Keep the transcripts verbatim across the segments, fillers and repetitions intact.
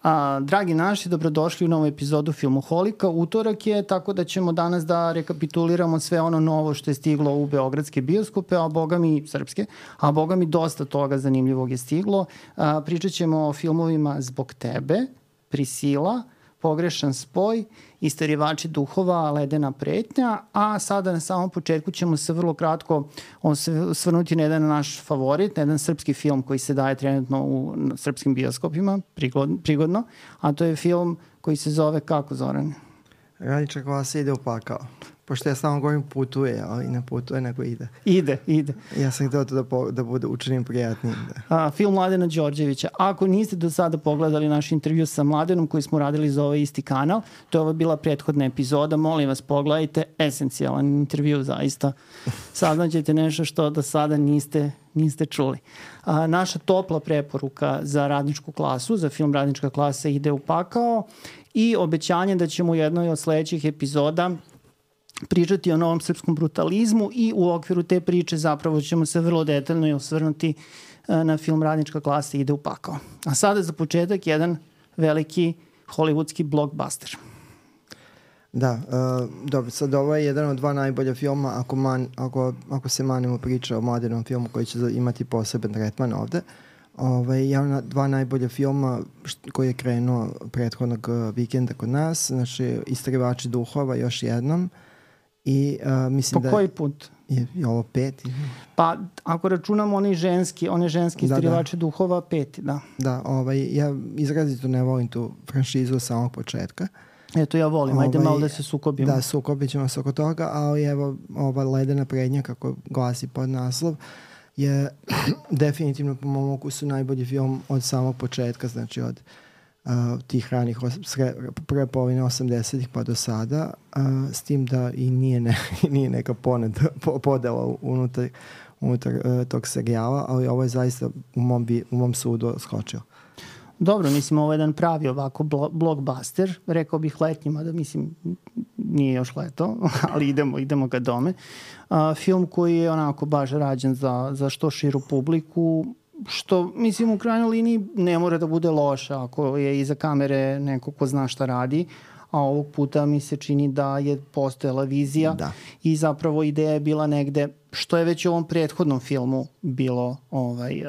A, dragi naši, dobrodošli u novu epizodu Filmoholika. Utorak je, tako da ćemo danas da rekapituliramo sve ono novo što je stiglo u beogradske bioskope, a boga mi srpske, a boga mi dosta toga zanimljivog je stiglo. A, pričat ćemo o filmovima Zbog tebe, Prisila, Pogrešan spoj, Isterivači duhova, Ledena pretnja, a sada na samom početku ćemo se vrlo kratko osvrnuti na jedan naš favorit, na jedan srpski film koji se daje trenutno u srpskim bioskopima, prigodno, a to je film koji se zove kako, Zoran? Radnička klasa ide u pakao. Pošto ja samo govorim putuje, ali ne putuje, nego ide. Ide, ide. Ja sam htio to da, po, da bude učinim prijatnim. Da. A, film Mladena Đorđevića. Ako niste do sada pogledali naš intervju sa Mladenom koji smo radili za ovaj isti kanal, to je ova bila prethodna epizoda, molim vas pogledajte, esencijalan intervju zaista. Saznaćete nešto što do sada niste, niste čuli. A, naša topla preporuka za Radničku klasu, za film Radnička klasa ide u pakao i obećanje da ćemo u jednoj od sledećih epizoda pričati o novom srpskom brutalizmu i u okviru te priče zapravo ćemo se vrlo detaljno i osvrnuti na film Radnička klasa ide u pakao. A sada za početak jedan veliki hollywoodski blockbuster. Da, uh, dobro, sad ovo je jedan od dva najbolja filma ako, man, ako, ako se manimo priča o Mladenom filmu koji će imati poseban tretman ovde. Ovaj, ja dva najbolja filma št, koji je krenuo prethodnog vikenda kod nas, znači Isterivači duhova još jednom. I, uh, mislim po da koji put? Je, je ovo peti. Pa ako računamo oni ženski, one ženski Isterivači da, da. duhova, peti, da. Da, ovaj, ja izrazito ne volim tu franšizu od samog početka. Eto, ja volim, ovaj, ajde malo da se sukobimo. Da, sukobit ćemo se oko toga, ali evo, ova Ledena prednja, kako glasi pod naslov, je definitivno po mom ukusu najbolji film od samog početka, znači od Uh, tih ranih sre, prve polovine osamdesetih pa do sada, uh, s tim da i nije, ne, nije neka poned, po, podela unutar, unutar uh, tog serijala, ali ovo je zaista u mom, bi, u mom sudu skočio. Dobro, mislim, ovo je jedan pravi ovako blo, blockbuster, rekao bih letnjima, da mislim, nije još leto, ali idemo, idemo ga dome. Uh, film koji je onako baš rađen za, za što širu publiku, što, mislim, u krajnjoj liniji ne mora da bude loše ako je iza kamere neko ko zna šta radi, a ovog puta mi se čini da je postojala vizija da. I zapravo ideja je bila negde, što je već u ovom prethodnom filmu bilo ovaj,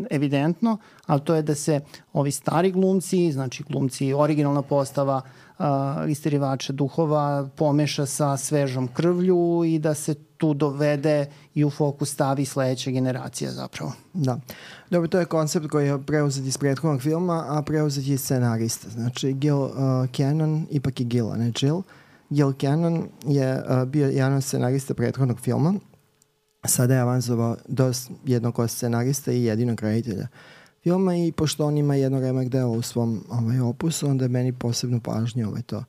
evidentno, ali to je da se ovi stari glumci, znači glumci, originalna postava uh, Isterivača duhova pomeša sa svežom krvlju i da se tu dovede i u fokus stavi sledeća generacija zapravo. Da. Dobro, to je koncept koji je preuzet iz prethodnog filma, a preuzet je scenarista. Znači, Gil uh, Cannon, ipak je Gil, a ne Jill. Gil Cannon je uh, bio jedan od scenarista prethodnog filma. Sada je avanzovao do jednog od scenarista i jedinog reditelja filma i pošto on ima jedno remek delo u svom ovaj, opusu, onda je meni posebnu pažnju ovaj, to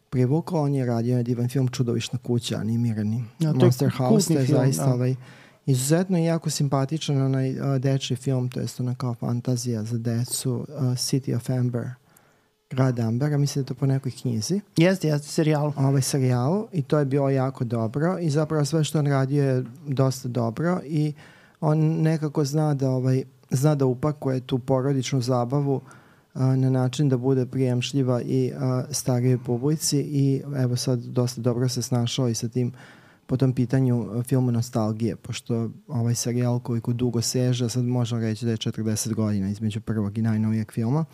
privuklo. On je radio na divan film Čudovišna kuća, animirani. Ja, Monster House, to je film, zaista da. ovaj, izuzetno i jako simpatičan onaj uh, dečji film, to je ona kao fantazija za decu, uh, City of Amber, Grad Ambera, mislim da je to po nekoj knjizi. Jeste, jeste, serijal. Ovaj serijal i to je bilo jako dobro i zapravo sve što on radio je dosta dobro i on nekako zna da, ovaj, zna da upakuje tu porodičnu zabavu uh, na način da bude prijemšljiva i uh, starijoj publici i evo sad dosta dobro se snašao i sa tim po tom pitanju filmu nostalgije, pošto ovaj serijal koliko dugo seže, sad možemo reći da je četrdeset godina između prvog i najnovijeg filma,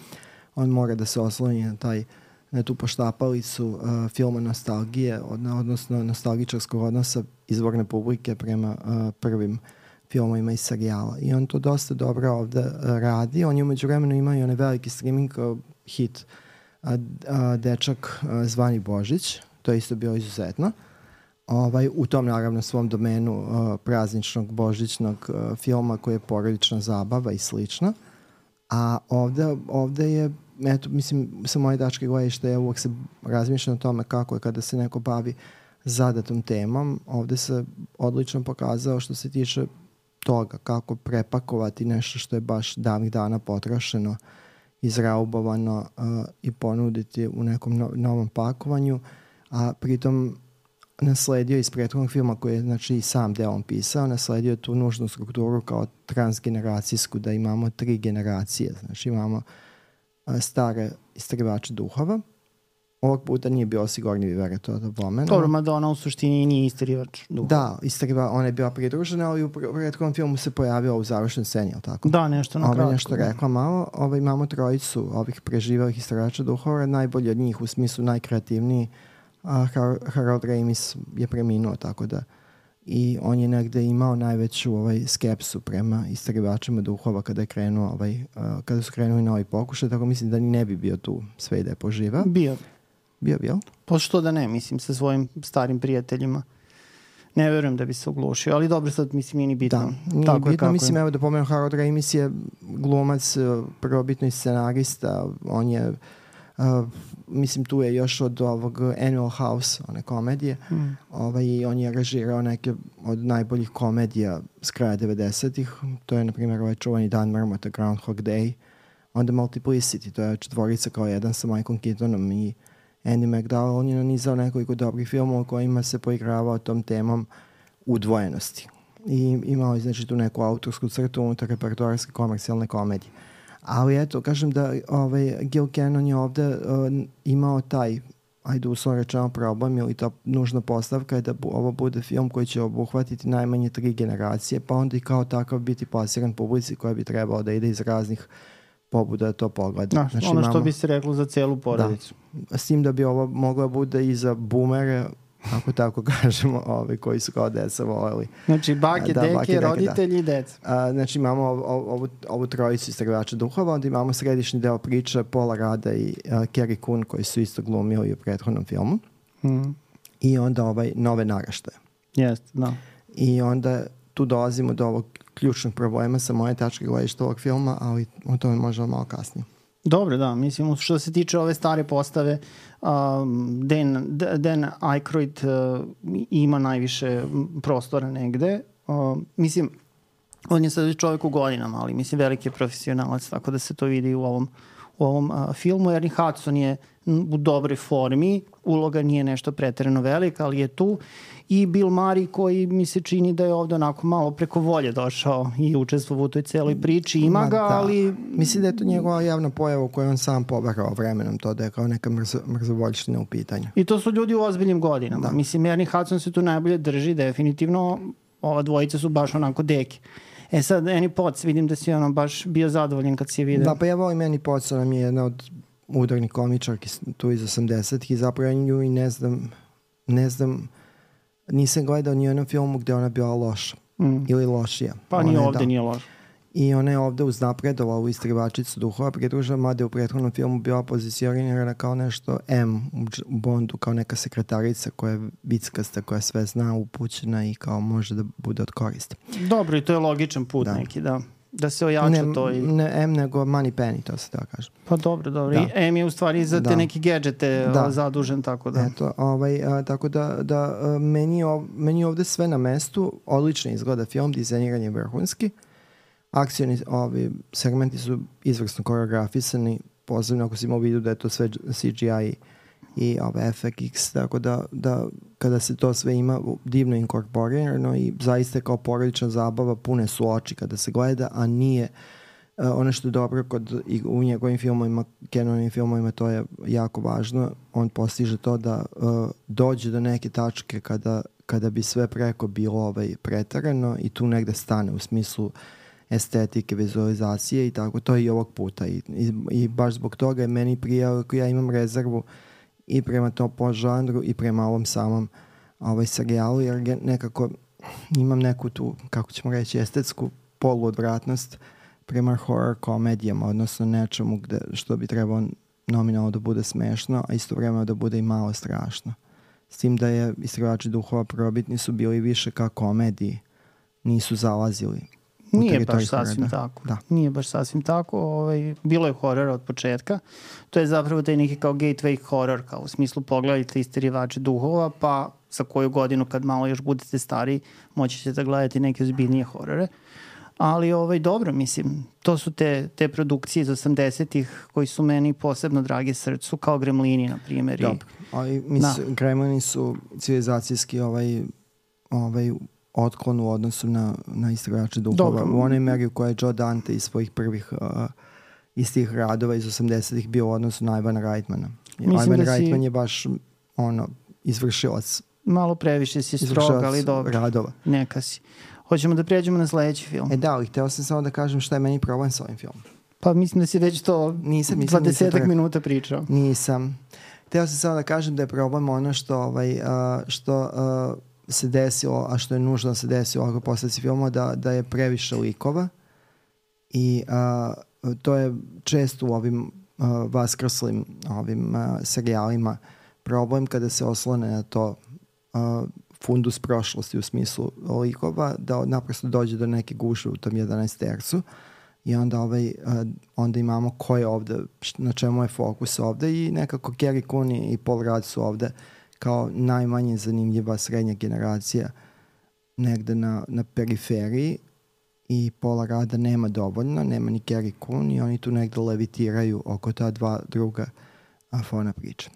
on mora da se osloni na, taj, na tu poštapalicu uh, filma nostalgije, od, odnosno nostalgičarskog odnosa izvorne publike prema uh, prvim filmovima iz serijala. I on to dosta dobro ovde uh, radi. On je umeđu vremenu imao i onaj veliki streaming uh, hit uh, uh, Dečak uh, zvani Božić. To je isto bilo izuzetno. Ovaj, u tom naravno svom domenu uh, prazničnog božićnog uh, filma koji je porodična zabava i slično. A ovde, ovde je, eto, mislim, sa moje tačke gledišta, ja uvek se razmišljam o tome kako je kada se neko bavi zadatom temom. Ovde se odlično pokazao što se tiče toga kako prepakovati nešto što je baš davnih dana potrošeno, izraubovano uh, i ponuditi u nekom no, novom pakovanju, a pritom nasledio iz prethodnog filma koji je znači i sam delom pisao, nasledio tu nužnu strukturu kao transgeneracijsku, da imamo tri generacije. Znači imamo a, stare istraživače duhova. Ovog puta nije bio Sigourney Weaver, to da pomenu. Dobro, mada ona u suštini nije istraživač duhova. Da, istraživa, ona je bila pridružena, ali u prethodnom filmu se pojavila u završnoj sceni, ali tako? Da, nešto na Ove, kratko. nešto rekla malo. Ove, imamo trojicu ovih preživalih istraživača duhova, najbolji od njih u smislu najkreativniji. A Harold Ramis je preminuo, tako da i on je negde imao najveću ovaj, skepsu prema istraživačima duhova kada je krenuo ovaj, uh, kada su krenuli na ovaj pokušaj, tako mislim da ni ne bi bio tu sve i da je poživao. Bio. Bio, bio? Pa što da ne, mislim, sa svojim starim prijateljima. Ne verujem da bi se oglušio, ali dobro, sad mislim nije ni bitno. Da, nije tako bitno, je mislim, je. evo da pomenem, Harold Ramis je glumac, prvobitno i scenarista, on je Uh, mislim tu je još od ovog Animal House, one komedije, mm. ovaj, on je režirao neke od najboljih komedija s kraja devedesetih, to je na primjer ovaj čuvani Dan Mrmota, Groundhog Day, onda Multiplicity, to je četvorica kao jedan sa Michaelom Keatonom i Andy McDowell. On je nanizao nekoliko dobrih filmova kojima se poigravao tom temom udvojenosti i imao je znači tu neku autorsku crtu unutar repertoarske komercijalne komedije. Ali eto, kažem da ovaj, Gil Cannon je ovde uh, imao taj, ajde uslovno rečeno, problem ili ta nužna postavka je da bu, ovo bude film koji će obuhvatiti najmanje tri generacije, pa onda i kao takav biti plasiran publici koja bi trebalo da ide iz raznih pobuda da to pogleda. Da, znači, ono što imamo, bi se reklo za celu porodicu. Da, s tim da bi ovo moglo bude i za boomere, ako tako kažemo, ovi koji su kao deca voleli. Znači, bake, da, deke, bake, deke, roditelji i da. deca. A, znači, imamo ovu, ovu trojicu istraživača duhova, onda imamo središnji deo priče Paula Rada i uh, Carrie Coon, koji su isto glumili u prethodnom filmu. Mm. I onda ovaj nove naraštaje. Jeste, da. I onda tu dolazimo do ovog ključnog problema sa moje tačke gledišta ovog filma, ali o tome možemo malo kasnije. Dobro, da, mislim, što se tiče ove stare postave, um, Dan, Dan Aykroyd uh, ima najviše prostora negde. Uh, mislim, on je sad čovjek u godinama, ali mislim, veliki je profesionalac, tako da se to vidi u ovom, u ovom uh, filmu. Ernie Hudson je u dobroj formi, uloga nije nešto preterano velika, ali je tu. I Bill Murray koji mi se čini da je ovde onako malo preko volje došao i učestvovao u toj celoj priči. Ima ga, da. ali... Mislim da je to njegova javna pojava u kojoj on sam pobarao vremenom to da je kao neka mrzo, mrzovoljština u pitanju. I to su ljudi u ozbiljnim godinama. Da. Mislim, Ernie Hudson se tu najbolje drži, definitivno. Ova dvojica su baš onako deke. E sad, Annie Potts, vidim da si ono baš bio zadovoljen kad si je vidio. Da, pa ja volim Annie Potts, ona mi je jedna od udarnih komičarki tu iz osamdesetih i zapravo nju i ne znam, ne znam, nisam gledao ni u jednom filmu gde ona bila loša mm. ili lošija. Pa ni ovde da. Nije loša. I ona je ovde uznapredovala u istraživačicu duhova, pridružila, mada je u prethodnom filmu bila pozicionirana kao nešto M u Bondu, kao neka sekretarica koja je vickasta, koja sve zna, upućena i kao može da bude od koristi. Dobro, i to je logičan put da. neki, da. Da se ojača ne, to i... Ne M, nego Money Penny, to se da kažem. Pa dobro, dobro. Da. I M je u stvari za te da. neke gadžete da. zadužen, tako da... Eto, ovaj, a, tako da, da a, meni, ov, meni ovde sve na mestu, odlično izgleda film, dizajniran je vrhunski, akcioni ovi segmenti su izvrsno koreografisani, posebno ako si imao vidu da je to sve C G I i ove F X, tako da, da kada se to sve ima divno inkorporirano i zaista kao porodična zabava, pune su oči kada se gleda, a nije uh, ono što je dobro kod, i u njegovim filmovima, Cannonovim filmovima, to je jako važno, on postiže to da uh, dođe do neke tačke kada, kada bi sve preko bilo ovaj, pretarano i tu negde stane u smislu estetike, vizualizacije i tako, to je i ovog puta i, i, i baš zbog toga je meni prijao, ako ja imam rezervu i prema tom podžanru i prema ovom samom ovaj serijalu, jer nekako imam neku tu, kako ćemo reći, estetsku poluodvratnost prema horror komedijama, odnosno nečemu gde, što bi trebalo nominalno da bude smešno, a istovremeno da bude i malo strašno. S tim da je Istraživači duhova prvobitni su bili više kao komediji, nisu zalazili. Nije baš sasvim horora. tako. Da. Nije baš sasvim tako. Ovaj, bilo je horora od početka. To je zapravo taj neki kao gateway horror, kao u smislu pogledajte Istraživače duhova, pa za koju godinu kad malo još budete stariji moći ćete da gledati neke ozbiljnije horore. Ali ovaj, dobro, mislim, to su te, te produkcije iz osamdesetih koji su meni posebno dragi srcu, kao Gremlini, na primjer. Dobro, ali mislim, da. Gremlini su civilizacijski ovaj, ovaj otklon u odnosu na, na Istraživače duhova. U onoj meri u kojoj je Joe Dante iz svojih prvih uh, iz tih radova iz osamdesetih bio u odnosu na Ivana Reitmana. Mislim Ivan da si... Reitman je baš ono, izvršilac. Malo previše si strog, ali dobro. Radova. Neka si. Hoćemo da prijeđemo na sledeći film. E da, ali hteo sam samo da kažem šta je meni problem sa ovim filmom. Pa mislim da si već to nisam, nisam, dvadesetak minuta pričao. Nisam. Hteo sam samo da kažem da je problem ono što, ovaj, uh, što uh, se desilo, a što je nužno da se desilo ako posledice filma, da, da je previše likova i uh, to je često u ovim uh, vaskrslim ovim uh, serijalima problem kada se oslone na to uh, fundus prošlosti u smislu likova, da naprosto dođe do neke guše u tom jedanaestercu i onda, ovaj, uh, onda imamo ko je ovde, na čemu je fokus ovde i nekako Carrie Cooney i Paul Rudd su ovde kao najmanje zanimljiva srednja generacija negde na, na periferiji i Paula Rudda nema dovoljno, nema ni Carrie Coon i oni tu negde levitiraju oko ta dva druga afona priča.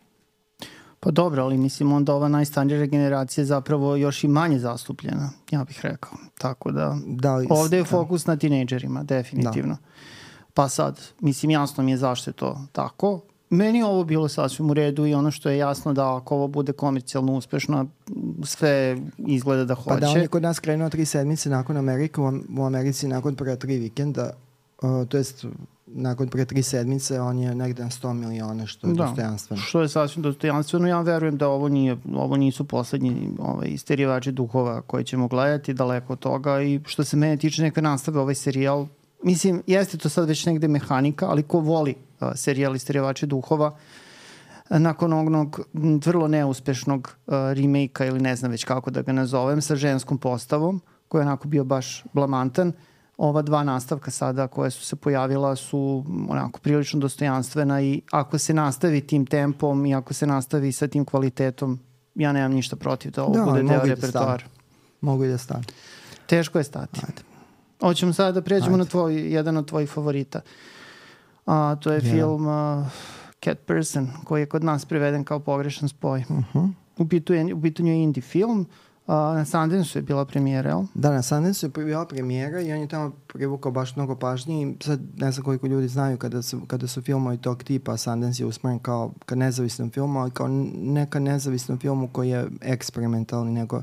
Pa dobro, ali mislim onda ova najstarija generacija je zapravo još i manje zastupljena, ja bih rekao. Tako da, da li, ovde je fokus da. na tinejdžerima, definitivno. Da. Pa sad, mislim, jasno mi je zašto je to tako. Meni je ovo bilo sasvim u redu i ono što je jasno da ako ovo bude komercijalno uspešno, sve izgleda da hoće. Pa da, on je kod nas krenuo tri sedmice nakon Amerike, u Americi nakon prva tri vikenda, uh, to jest nakon pre tri sedmice on je negde na sto miliona, što je da, dostojanstveno. Što je sasvim dostojanstveno. Ja verujem da ovo, nije, ovo nisu poslednji ovaj, isterivači duhova koje ćemo gledati, daleko od toga i što se mene tiče neka nastave ovaj serijal. Mislim, jeste to sad već negde mehanika, ali ko voli uh, serijal Isterivači duhova, uh, nakon onog vrlo neuspešnog uh, remake-a ili ne znam već kako da ga nazovem, sa ženskom postavom, koji je onako bio baš blamantan, ova dva nastavka sada koje su se pojavila su onako prilično dostojanstvena i ako se nastavi tim tempom i ako se nastavi sa tim kvalitetom, ja nemam ništa protiv da ovo da, bude deo repertoara. Mogu i da stane. Teško je stati. Ajde. Hoćemo sada da pređemo Ajde. na tvoj, jedan od tvojih favorita. A, to je yeah. film uh, Cat Person, koji je kod nas preveden kao pogrešan spoj. Uh-huh. U, pitanju, u pitanju je indie film. Uh, na Sundance-u je bila premijera, jel? Da, na Sundance-u je bila premijera i on je tamo privukao baš mnogo pažnje i sad ne znam koliko ljudi znaju kada su, kada su filmovi tog tipa, Sundance je usmeren kao ka nezavisnom filmu, ali kao neka nezavisnom filmu koji je eksperimentalni, nego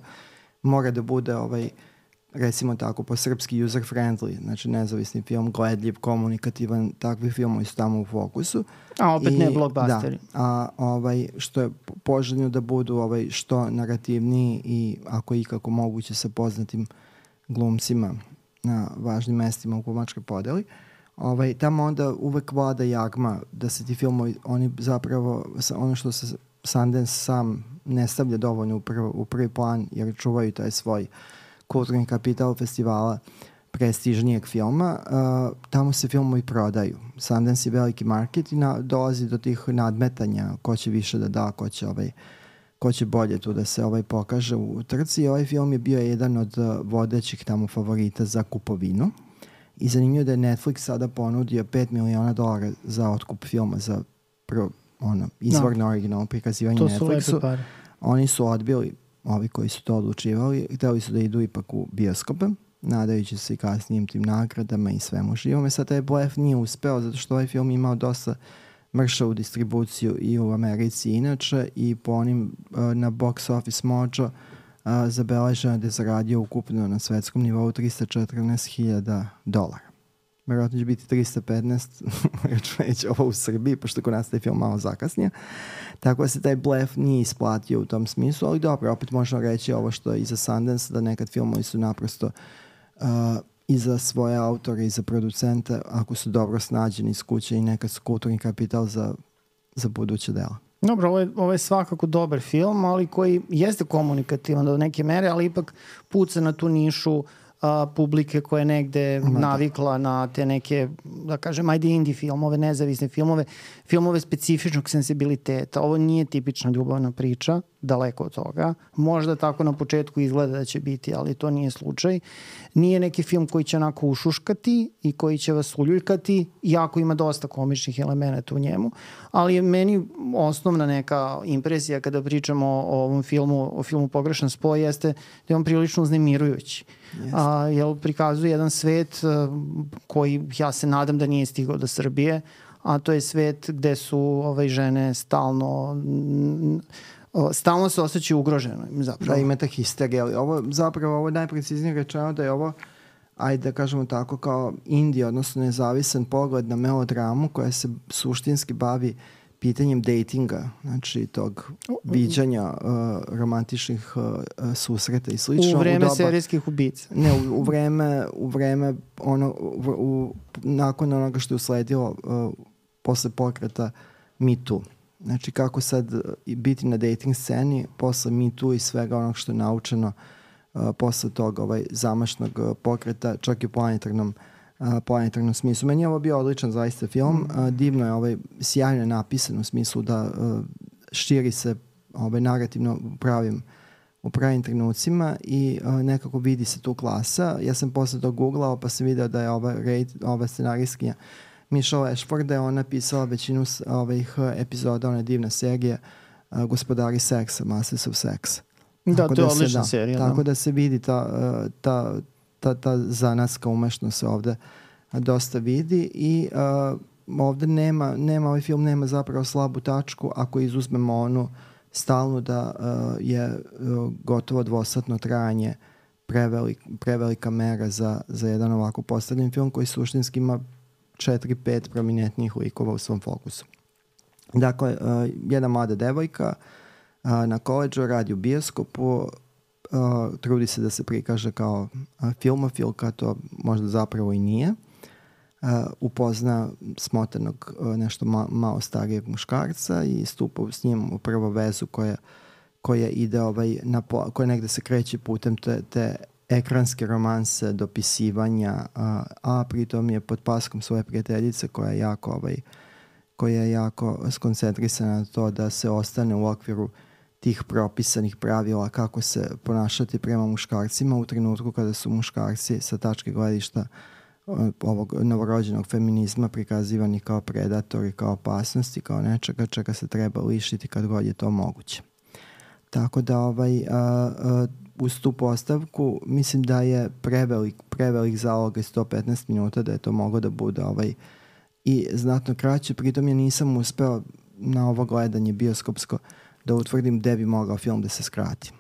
mora da bude ovaj recimo tako, po srpski user-friendly, znači nezavisni film, gledljiv, komunikativan, takvi filmovi su tamo u fokusu. A opet I, ne blockbusteri. Da, a ovaj, što je poželjno da budu ovaj, što narativniji i ako ikako moguće sa poznatim glumcima na važnim mestima u glumačkoj podeli. Ovaj, tamo onda uvek vlada jagma da se ti filmovi, oni zapravo, ono što se Sundance sam ne stavlja dovoljno u, prv, u prvi plan, jer čuvaju taj svoj kulturni kapital festivala prestižnijeg filma, uh, tamo se filmovi prodaju. Sundance je veliki market i na, dolazi do tih nadmetanja ko će više da da, ko će, ovaj, ko će bolje tu da se ovaj pokaže u trci. I ovaj film je bio jedan od uh, vodećih tamo favorita za kupovinu. I zanimljivo da je Netflix sada ponudio pet miliona dolara za otkup filma, za prvo, ono, izvorno no. originalno prikazivanje Netflixu. Oni su odbili, ovi koji su to odlučivali, hteli su da idu ipak u bioskope, nadajući se i kasnijim tim nagradama i svemu živome. Sad taj blef nije uspeo, zato što ovaj film imao dosta mršavu distribuciju i u Americi inače i po onim uh, na Box Office Mojo uh, zabeleženo da je zaradio ukupno na svetskom nivou trista četrnaest hiljada dolara. Vjerojatno će biti trista petnaest, računajući ovo u Srbiji, pošto kod nas taj film malo zakasnije. Tako da se taj blef nije isplatio u tom smislu, ali dobro, opet možemo reći ovo što je i za Sundance, da nekad filmovi su naprosto uh, i za svoje autore i za producente, ako su dobro snađeni iz kuće i nekad su kulturni kapital za, za buduće dela. Dobro, ovo je, ovo je svakako dobar film, ali koji jeste komunikativan do neke mere, ali ipak puca na tu nišu a, publike koja je negde Mada. navikla na te neke, da kažem, ajde indie filmove, nezavisne filmove, filmove specifičnog sensibiliteta. Ovo nije tipična ljubavna priča, daleko od toga. Možda tako na početku izgleda da će biti, ali to nije slučaj. Nije neki film koji će onako ušuškati i koji će vas uljuljkati, iako ima dosta komičnih elemenata u njemu, ali je meni osnovna neka impresija kada pričamo o ovom filmu, o filmu Pogrešan spoj, jeste da je on prilično uznemirujući. A, jer prikazuje jedan svet koji ja se nadam da nije stigao do Srbije, a to je svet gde su ovaj, žene stalno stalno se osjećaju ugroženo zapravo. Da, ima ta histerija, ali ovo zapravo ovo je najpreciznije rečeno da je ovo, ajde da kažemo tako, kao indie, odnosno nezavisan pogled na melodramu koja se suštinski bavi pitanjem datinga, znači tog viđanja uh, romantičnih uh, susreta i slično. U vreme u doba, serijskih ubica. Ne, u, u vreme, u vreme ono, u, u, nakon onoga što je usledilo uh, posle pokreta Me Too. Znači kako sad uh, biti na dating sceni posle Me Too i svega onog što je naučeno uh, posle toga ovaj, zamašnog uh, pokreta, čak i u planetarnom Uh, planetarnom smislu. Meni je ovo bio odličan zaista film. Mm. Uh, divno je, ovaj, sjajno je napisan u smislu da uh, širi se ovaj, narativno u pravim, u pravim trenucima i uh, nekako vidi se tu klasa. Ja sam posle to googlao pa sam video da je ova, ova scenarijskinja Michelle Ashford, da je ona pisala većinu ovih epizoda one divne serije uh, Gospodari seksa, Masters of Sex. Da, tako to je da odlična se, serija. Tako da. da se vidi ta, uh, ta ta, ta zanatska umešnost se ovde dosta vidi i uh, ovde nema, nema, ovaj film nema zapravo slabu tačku ako izuzmemo onu stalnu da uh, je uh, gotovo dvosatno trajanje prevelik, prevelika mera za, za jedan ovako postavljen film koji suštinski ima četiri, pet prominentnih likova u svom fokusu. Dakle, uh, jedna mlada devojka uh, na koleđu radi u bioskopu, Uh, trudi se da se prikaže kao uh, filmofilka, to možda zapravo i nije. Uh, upozna smotanog uh, nešto ma malo starijeg muškarca i stupa s njim u prvu vezu koja, koja ide ovaj, na po, koja negde se kreće putem te, te ekranske romanse, dopisivanja, uh, a pritom je pod paskom svoje prijateljice koja je jako ovaj, koja je jako skoncentrisana na to da se ostane u okviru tih propisanih pravila kako se ponašati prema muškarcima u trenutku kada su muškarci sa tačke gledišta ovog novorođenog feminizma prikazivani kao predatori, kao opasnosti, kao nečega čega se treba lišiti kad god je to moguće. Tako da ovaj, a, a, uz tu postavku mislim da je prevelik, prevelik zalog i sto petnaest minuta da je to moglo da bude ovaj, i znatno kraće, pritom ja nisam uspeo na ovo gledanje bioskopsko da utvrdim gde bi mogao film da se skrati.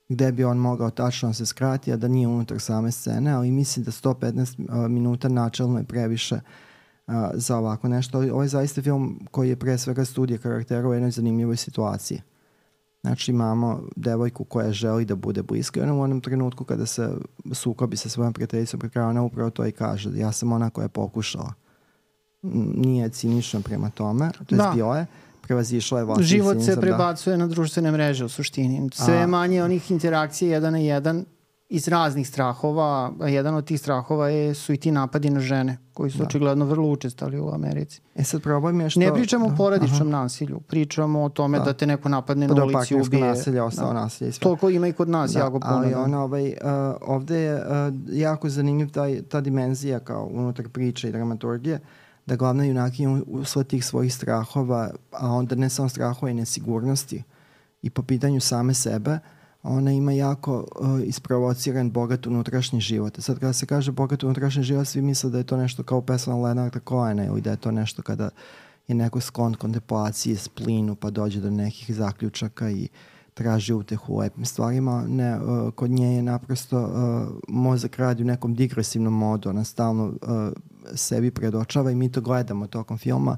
Gde bi on mogao tačno da se skrati, a da nije unutar same scene, ali mislim da sto petnaest uh, minuta načelno je previše uh, za ovako nešto. Ovo je zaista film koji je pre svega studija karaktera u jednoj zanimljivoj situaciji. Znači imamo devojku koja želi da bude bliska i ona u onom trenutku kada se sukobi sa svojom prijateljicom pred kraja, ona upravo to i kaže. Ja sam ona koja je pokušala. Nije cinično prema tome, to je da. bio je. Prevazišla je vlastni život cinizam, se prebacuje da. na društvene mreže u suštini. Sve a, manje onih interakcija jedan na jedan iz raznih strahova, a jedan od tih strahova je, su i ti napadi na žene, koji su da. očigledno vrlo učestali u Americi. E sad problem je što... Ne pričamo da, o porodičnom aha. nasilju, pričamo o tome da, da te neko napadne pa na ulici i ubije. Nasilje, ostalo da. nasilje i sve. Toliko ima i kod nas da, jako puno. Ali da. ona, ovaj, uh, ovde je uh, jako zanimljiv taj, ta dimenzija kao unutar priče i dramaturgije, da glavna junakinja usled tih svojih strahova, a onda ne samo strahova i nesigurnosti i po pitanju same sebe, ona ima jako uh, isprovociran bogat unutrašnji život. Sad kada se kaže bogat unutrašnji život, svi misle da je to nešto kao pesma Leonarda Cohena ili da je to nešto kada je neko sklon kontemplaciji, splinu, pa dođe do nekih zaključaka i traži utehu u lepim stvarima. Ne, uh, kod nje je naprosto uh, mozak radi u nekom digresivnom modu, ona stalno uh, sebi predočava i mi to gledamo tokom filma.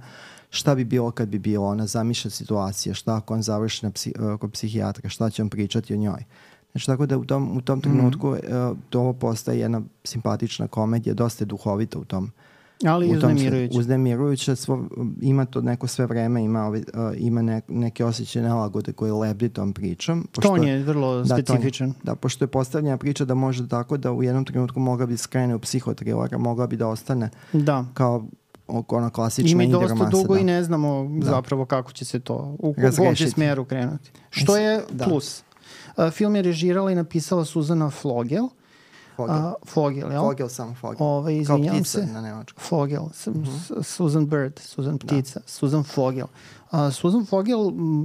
Šta bi bilo kad bi bilo, ona zamišlja situacije, šta ako on završi na psi, uh, kod psihijatra, šta će on pričati o njoj. Znači tako da u tom, u tom trenutku mm-hmm. uh, to ovo postaje jedna simpatična komedija, dosta je duhovita u tom. Ali uznemirujuće. Uznemirujuće, svo, ima to neko sve vreme, ima, uh, ima ne, neke osjećaje nelagode koje lebdi tom pričom. Pošto, ton je vrlo da, specifičan. Ton, da, pošto je postavljena priča da može tako da u jednom trenutku mogla bi skrene u psihotrilera, mogla bi da ostane da. kao ono klasična indie romance. I mi dosta dugo da. i ne znamo da. zapravo kako će se to u kom će smjeru krenuti. Što je da. plus. Uh, film je režirala i napisala Suzana Flogel. Fogel. Uh, Fogel, jel? Fogel, samo Fogel. Ove, izvinjam se. Na nemačkom. Fogel, uh-huh. Susan Bird, Susan Ptica, da. Susan Fogel. Uh, Susan Fogel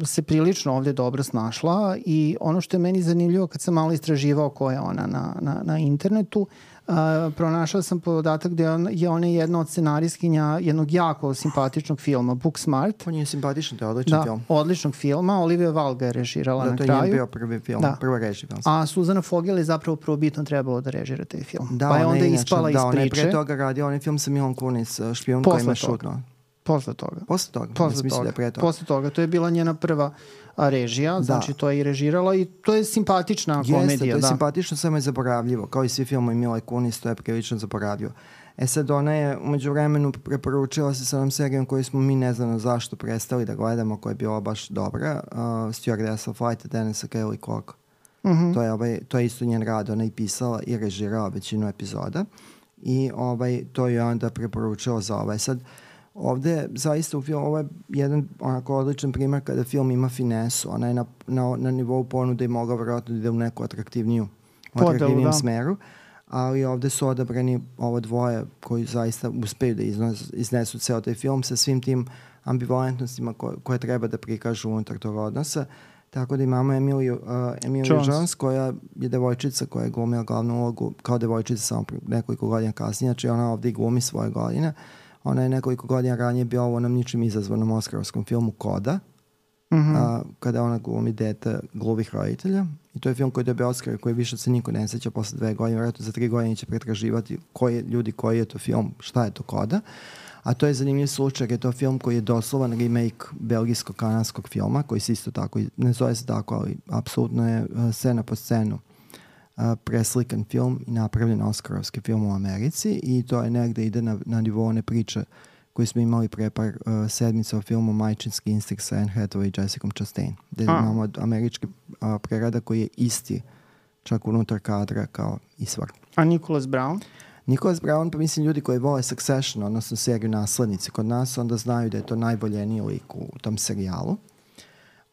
se prilično ovdje dobro snašla i ono što je meni zanimljivo kad sam malo istraživao ko je ona na, na, na internetu, Uh, pronašao sam podatak da je ona jedna od scenarijskinja jednog jako simpatičnog filma, Booksmart. On je simpatičan, to je odličan da, film. odličnog filma. Olivia Wilde ga je režirala da, na kraju. Da, to je bio prvi film, da. prva režija film. A Suzana Fogel je zapravo prvobitno trebalo da režira taj film. Da, pa je onda inače, ispala da, iz priče. Da, ona je pre toga radio onaj film sa Milom Kunis, Špijun koji ima šutno. Posle toga. Posle toga. Posle toga. Da pre toga. Posle toga. To je bila njena prva režija, da. Znači to je i režirala i to je simpatična Jeste, komedija. to je da. simpatično, samo je zaboravljivo. Kao i svi filmovi Mile Kunis, to je prilično zaboravljivo. E sad, ona je umeđu vremenu preporučila se sa onom serijom koju smo mi ne znamo zašto prestali da gledamo, koja je bila baš dobra, uh, Stewardess of Flight, Denisa Kelly Cook. Mm-hmm. To je, ovaj, to je isto njen rad, ona je pisala i režirala većinu epizoda i ovaj, to je onda preporučila za ovaj. Sad, ovde zaista u filmu, ovo je jedan onako odličan primjer kada film ima finesu, ona je na, na, na nivou ponude i mogla vjerojatno da ide u neku atraktivniju, u atraktivnijem da. smeru, ali ovde su odabrani ovo dvoje koji zaista uspeju da iznos, iznesu ceo taj film sa svim tim ambivalentnostima ko, koje treba da prikažu unutar tog odnosa. Tako da imamo Emiliju, uh, Emiliju Jones. Jones koja je devojčica koja je glumila glavnu ulogu kao devojčica samo nekoliko godina kasnije, znači ona ovde i glumi svoje godine. Ona je nekoliko godina ranije bila u onom ničim izazvanom oskarovskom filmu Koda, mm-hmm. a, kada ona glumi dete gluvih roditelja. I to je film koji dobije Oskar koji više se niko ne sjeća posle dve godine. Vjerojatno za tri godine će pretraživati koji ljudi koji je to film, šta je to Koda. A to je zanimljiv slučaj, je to film koji je doslovan remake belgijsko-kanadskog filma, koji se isto tako, ne zove se tako, ali apsolutno je uh, scena po scenu uh, preslikan film i napravljen oskarovski film u Americi i to je negde ide na, na nivou one priče koju smo imali pre par uh, sedmica o filmu Majčinski instinkt sa Anne Hathaway i Jessica Chastain, gde A. imamo američki uh, prerada koji je isti čak unutar kadra kao i svak. A Nicholas Brown? Nicholas Brown, pa mislim ljudi koji vole Succession, odnosno seriju Naslednici kod nas, onda znaju da je to najvoljeniji lik u tom serijalu.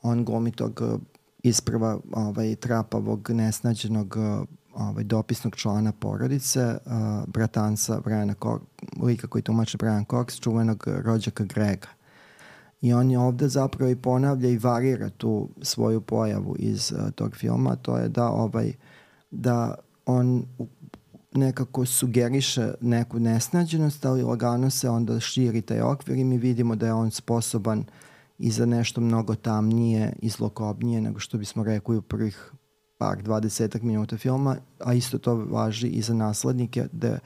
On glumi tog isprva ovaj, trapavog, nesnađenog ovaj, dopisnog člana porodice, uh, bratanca Briana Cox, lika koji tumače Brian Cox, čuvenog rođaka Grega. I on je ovde zapravo i ponavlja i varira tu svoju pojavu iz uh, tog filma, to je da, ovaj, da on nekako sugeriše neku nesnađenost, ali lagano se onda širi taj okvir i mi vidimo da je on sposoban i za nešto mnogo tamnije i zlokobnije nego što bismo rekli u prvih par dvadesetak minuta filma, a isto to važi i za naslednike, da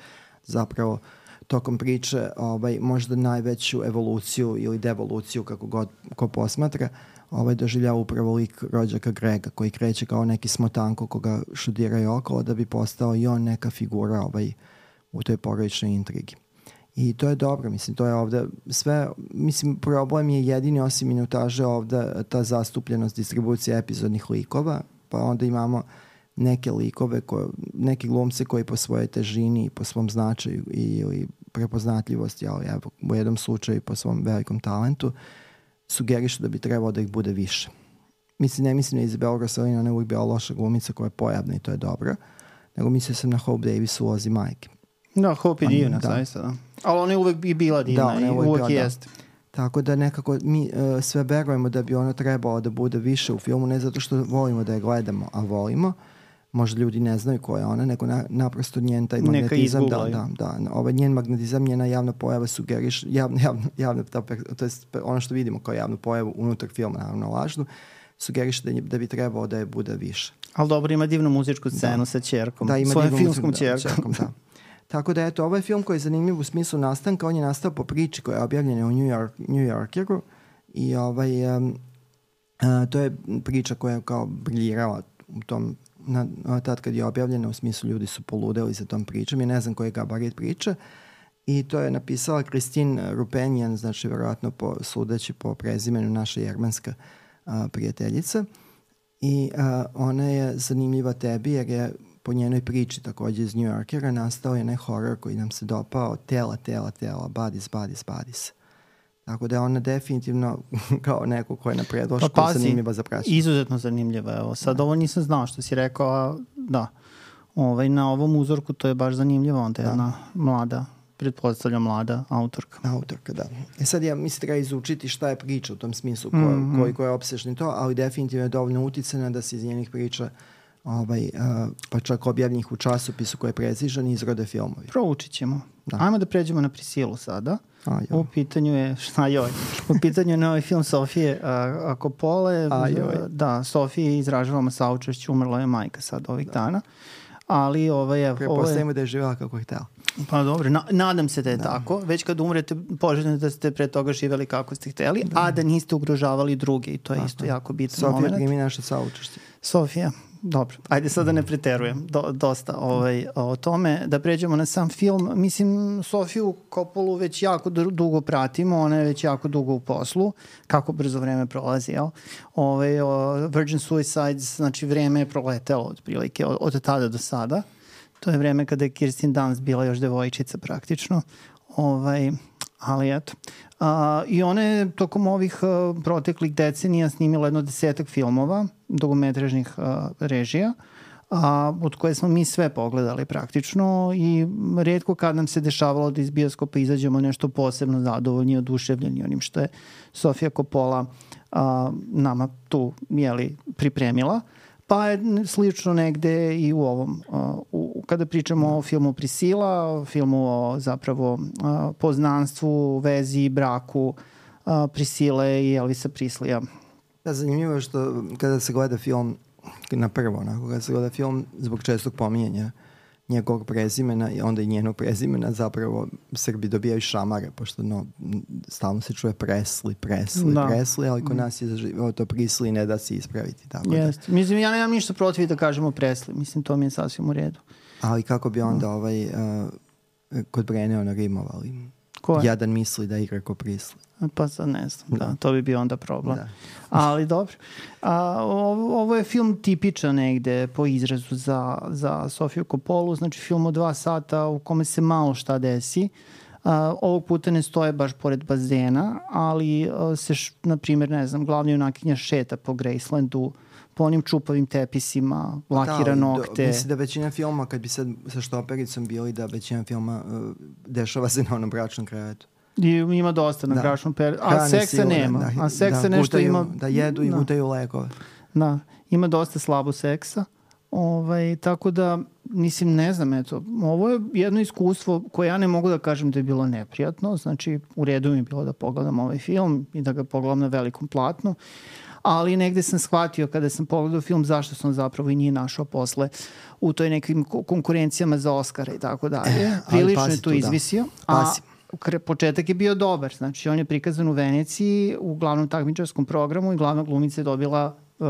zapravo tokom priče ovaj, možda najveću evoluciju ili devoluciju, kako god ko posmatra, ovaj, doživljava upravo lik rođaka Grega, koji kreće kao neki smotanko koga šudiraju okolo da bi postao i on neka figura ovaj, u toj porodičnoj intrigi. I to je dobro, mislim, to je ovde sve, mislim, problem je jedini osim minutaže ovde ta zastupljenost distribucije epizodnih likova, pa onda imamo neke likove, koje, neke glumce koji po svojoj težini i po svom značaju i, ili prepoznatljivosti, ali evo, u jednom slučaju po svom velikom talentu, sugerišu da bi trebalo da ih bude više. Mislim, ne mislim na Izabela Rossellini, ona je uvijek bila loša glumica koja je pojavna i to je dobro, nego mislio sam na Hope Davis u Ulozi majke. Da, Hope je divna, da. Zaista, da. Ali ona je uvijek i bila divna da, i uvijek, uvijek jeste. Da. Tako da nekako mi uh, sve verujemo da bi ona trebalo da bude više u filmu, ne zato što volimo da je gledamo, a volimo. Možda ljudi ne znaju ko je ona, nego na, naprosto njen taj magnetizam, da, da, da, ovaj njen magnetizam, njena javna pojava sugeriš, javna, javna, javna, to je ono što vidimo kao javnu pojavu unutar filma, naravno lažnu, sugeriš da, da bi trebalo da je bude više. Ali dobro, ima divnu muzičku scenu da. Sa ćerkom, da, svojom filmskom muziku, ćerkom. Da, ćerkom da. Tako da eto, ovo je film koji je zanimljiv u smislu nastanka, on je nastao po priči koja je objavljena u New, York, New Yorkeru i ovaj, um, uh, to je priča koja je kao briljirala u tom, na, tad kad je objavljena, u smislu ljudi su poludeli za tom pričom, ja ne znam koji je gabarit priče i to je napisala Christine Rupenjan, znači verovatno po, sudeći po prezimenu naša jermanska uh, prijateljica i uh, ona je zanimljiva tebi jer je po njenoj priči takođe iz New Yorkera nastao je ne horor koji nam se dopao, tela, tela, tela, bodies, bodies, bodies. Tako da je ona definitivno kao neko ko je na predlošku pa, zanimljiva za praćenje. Izuzetno zanimljiva. Evo, sad da. Ovo nisam znao što si rekao, a da. Ovaj, na ovom uzorku to je baš zanimljivo. Onda je da. Jedna mlada, pretpostavlja mlada autorka. Autorka, da. E sad ja mislim treba izučiti šta je priča u tom smislu, ko, mm-hmm. koji ko je opsešni to, ali definitivno je dovoljno uticana da se iz njenih priča ovaj, uh, pa čak objavljenih u časopisu koji je precižan i izrode filmovi. Proučit ćemo. Da. Ajmo da pređemo na Prisilu sada. A, u pitanju je, šta joj, u pitanju je novi film Sofije uh, Coppole. Da, Sofije izražavamo saučešće, umrla je majka sad ovih da. Dana. Ali ovaj, evo... Prepostavimo je... da je živjela kako je htjela. Pa dobro, na, nadam se da je da. Tako. Već kad umrete, poželjno da ste pre toga živjeli kako ste htjeli, da. A da niste ugrožavali druge i to je da, isto da. Jako bitan Sofija moment. Sofija primi naše saučešće. Sofija, dobro. Ajde sad da ne preterujem Do, dosta ovaj, o tome. Da pređemo na sam film. Mislim, Sofiju Coppolu već jako dugo pratimo. Ona je već jako dugo u poslu. Kako brzo vreme prolazi, jel? Ovaj, o, Virgin Suicides, znači vreme je proletelo otprilike od, od tada do sada. To je vreme kada je Kirsten Dunst bila još devojčica praktično. Ovaj, ali eto. Uh, I ona je tokom ovih uh, proteklih decenija snimila jedno desetak filmova, dugometražnih uh, režija, uh, od koje smo mi sve pogledali praktično i rijetko kad nam se dešavalo da iz bioskopa izađemo nešto posebno zadovoljni i oduševljeni onim što je Sofija Coppola uh, nama tu jeli, pripremila. Pa je slično negde i u ovom, uh, u, kada pričamo o filmu Prisila, o filmu o zapravo uh, poznanstvu, vezi, braku uh, Prisile i Elvisa Prislija. Da, zanimljivo je što kada se gleda film, na prvo, onako, kada se gleda film zbog čestog pominjanja njegovog prezimena i onda i njenog prezimena, zapravo Srbi dobijaju šamare, pošto no, stalno se čuje Presli, Presli, da. Presli, ali kod nas je zaživio to Prisli i ne da se ispraviti. Tako Jest. Da. Mislim, ja nemam ništa protiv da kažemo Presli, mislim, to mi je sasvim u redu. Ali kako bi onda da. ovaj, uh, kod Brenneona rimovali? Ko je? Jadan misli da igra ko Prisli. Pa sad ne znam, da. Da, to bi bio onda problem. Da. Ali dobro. A, ovo, ovo je film tipičan negde po izrazu za, za Sofiju Coppolu, znači film od dva sata u kome se malo šta desi. A, ovog puta ne stoje baš pored bazena, ali a, se, š, na primjer, ne znam, glavni junakinja šeta po Gracelandu, po onim čupavim tepisima, lakira da, nokte. Do, mislim da većina filma, kad bi sad sa štopericom bili, da većina filma uh, dešava se na onom bračnom krevetu. I ima dosta na da. Bračnom periodu. A seksa sigurno, nema. Da, a seksa da, nešto gutaju, ima... Da jedu i da. Gutaju lekove. Da, ima dosta slabo seksa. Ovaj, tako da, mislim, ne znam, eto, ovo je jedno iskustvo koje ja ne mogu da kažem da je bilo neprijatno. Znači, u redu mi je bilo da pogledam ovaj film i da ga pogledam na velikom platnu. Ali negde sam shvatio kada sam pogledao film zašto sam zapravo i nije našao posle u toj nekim konkurencijama za Oscara i tako dalje. Prilično je tu izvisio. A početak je bio dobar. Znači, on je prikazan u Veneciji u glavnom takmičarskom programu i glavna glumica je dobila uh,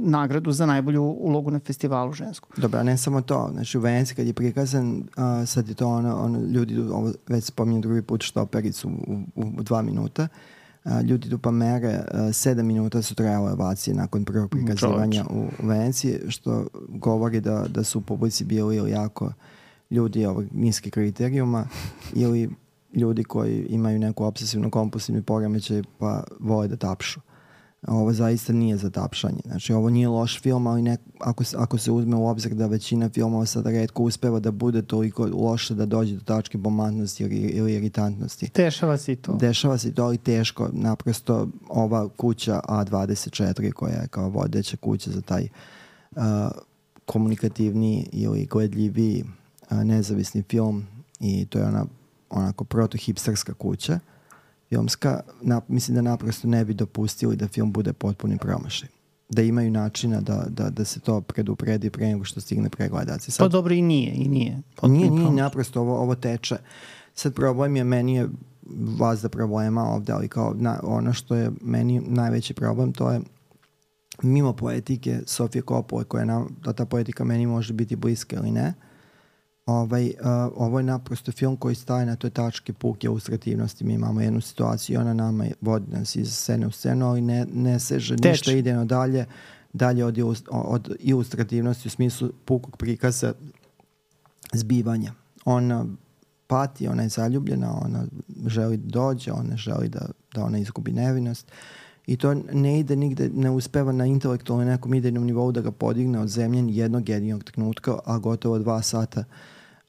nagradu za najbolju ulogu na festivalu žensku. Dobro, ne samo to. Znači, u Veneciji kad je prikazan, uh, sad je to ono, ono ljudi, ovo već spominjem drugi put štopericu u, u, u dva minuta. Uh, ljudi tu pa mere, uh, sedam minuta su trajale ovacije nakon prvog prikazivanja u, u Veneciji, što govori da, da su u publici bili ili jako ljudi ovog niskih kriterijuma ili ljudi koji imaju neku obsesivno-kompulsivni poremećaj pa vole da tapšu. Ovo zaista nije za tapšanje. Znači, ovo nije loš film, ali ne, ako, ako se uzme u obzir da većina filmova sad retko uspeva da bude toliko loše da dođe do tačke bomantnosti ili, ili iritantnosti. Dešava se i to. Dešava se i to, ali teško. Naprosto ova kuća A dvadeset četiri koja je kao vodeća kuća za taj uh, komunikativni ili gledljiviji uh, nezavisni film i to je ona onako proto-hipsterska kuća filmska, na, mislim da naprosto ne bi dopustili da film bude potpuni promašaj. Da imaju načina da, da, da se to predupredi pre nego što stigne pregledaci. Sad, pa dobro i nije, i nije. Nije, nije, naprosto ovo, ovo teče. Sad problem je, meni je vazda problema ovde, ali kao na, ono što je meni najveći problem, to je mimo poetike Sofije Coppole, koja nam, da ta poetika meni može biti bliska ili ne. Ovaj, uh, ovo je naprosto film koji staje na toj tački puke ilustrativnosti. Mi imamo jednu situaciju i ona nama vodi nas iz scene u scenu, ali ne, ne seže Teč. ništa idejno dalje dalje od, od ilustrativnosti u smislu pukog prikaza zbivanja. Ona pati, ona je zaljubljena, ona želi da dođe, ona želi da, da ona izgubi nevinost i to ne ide nigde, ne uspeva na intelektualnom nekom idejnom nivou da ga podigne od zemlje jednog jedinog trenutka, a gotovo dva sata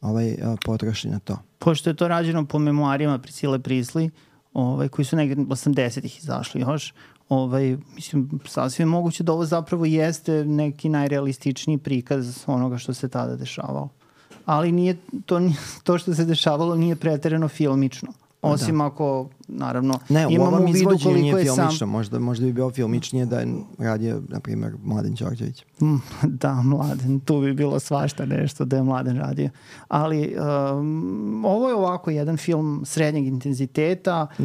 ovaj, potroši na to. Pošto je to rađeno po memoarima Priscille Priestley, ovaj, koji su negdje osamdesetih izašli još, ovaj, mislim, sasvim moguće da ovo zapravo jeste neki najrealističniji prikaz onoga što se tada dešavalo. Ali nije, to, to što se dešavalo nije preterano filmično. Osim da. Ako, naravno, ne, imamo u vidu koliko je sam... Možda, možda bi bio filmičnije da je radio, na primjer, Mladen Đorđević. Da, Mladen, tu bi bilo svašta nešto da je Mladen radio. Ali um, ovo je ovako jedan film srednjeg intenziteta. Uh,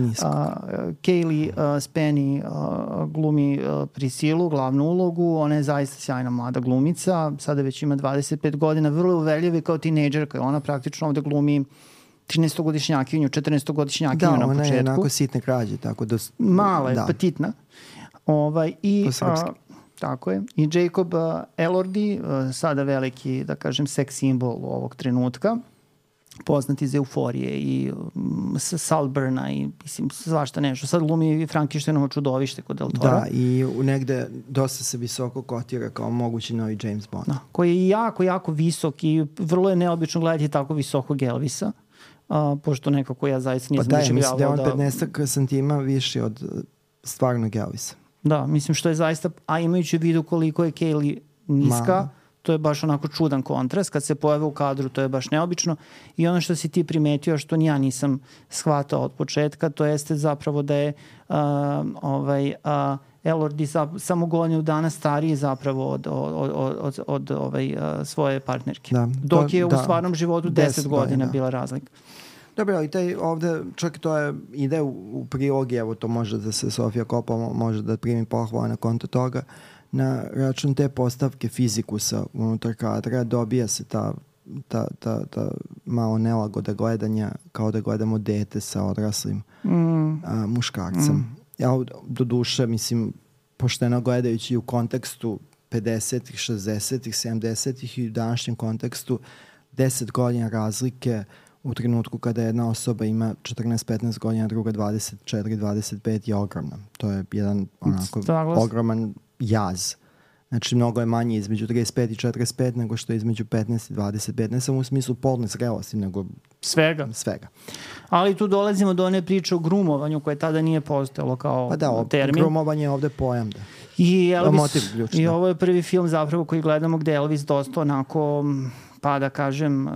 Kaylee uh, Spenny uh, glumi uh, Prisilu, glavnu ulogu. Ona je zaista sjajna mlada glumica. Sada već ima dvadeset pet godina. Vrlo uveljiva kao tinejdžerka. Ona praktično ovde glumi trinaestogodišnjakinju, četrnaestogodišnjakinju na početku. Da, ona je onako sitne krađe, tako da... Mala je, da. Petitna. Ovaj, i, a, tako je. I Jacob uh, Elordi, uh, sada veliki, da kažem, seks simbol ovog trenutka, poznat iz Euforije i um, Saltburna i mislim, svašta nešto. Sad glumi Frankensteinovo čudovište kod Del Tora. Da, i negde dosta se visoko kotira kao mogući novi James Bond. Da, koji je jako, jako visok i vrlo je neobično gledati tako visokog Elvisa. Uh, pošto nekako ja zaista nisam pa da, mislim da je on da... petnaest santima viši od stvarnog Elvisa. Da, mislim što je zaista, a imajući u vidu koliko je Kaylee niska, Ma. to je baš onako čudan kontrast. Kad se pojave u kadru, to je baš neobično. I ono što si ti primetio, što ni ja nisam shvatao od početka, to jeste zapravo da je uh, ovaj, uh, Elordi samo godinu dana stariji zapravo od, od, od, od, od ovaj, uh, svoje partnerke. Da, Dok to, je da, u stvarnom životu deset godina da. bila razlika. Dobro, ali taj ovde, čak to je, ide u, u prilogi, evo to može da se Sofija Coppola može da primi pohvala na konto toga, na račun te postavke fizikusa unutar kadra dobija se ta, ta, ta, ta malo nelagoda gledanja kao da gledamo dete sa odraslim mm. a, muškarcem. Mm. Ja do duše, mislim, pošteno gledajući u kontekstu pedesetih, šezdesetih, sedamdesetih i u današnjem kontekstu deset godina razlike u trenutku kada jedna osoba ima četrnaest petnaest godina, druga dvadeset četiri dvadeset pet je ogromna. To je jedan onako ogroman jaz. Znači, mnogo je manje između trideset pet i četrdeset pet nego što je između petnaest i dvadeset pet. Ne samo u smislu polne zrelosti, nego svega. svega. Ali tu dolazimo do one priče o grumovanju koje tada nije postojalo kao pa da, termin. Grumovanje je ovde pojam. Da. I, Elvis, i ovo je prvi film zapravo koji gledamo gde Elvis dosta onako, pa da kažem,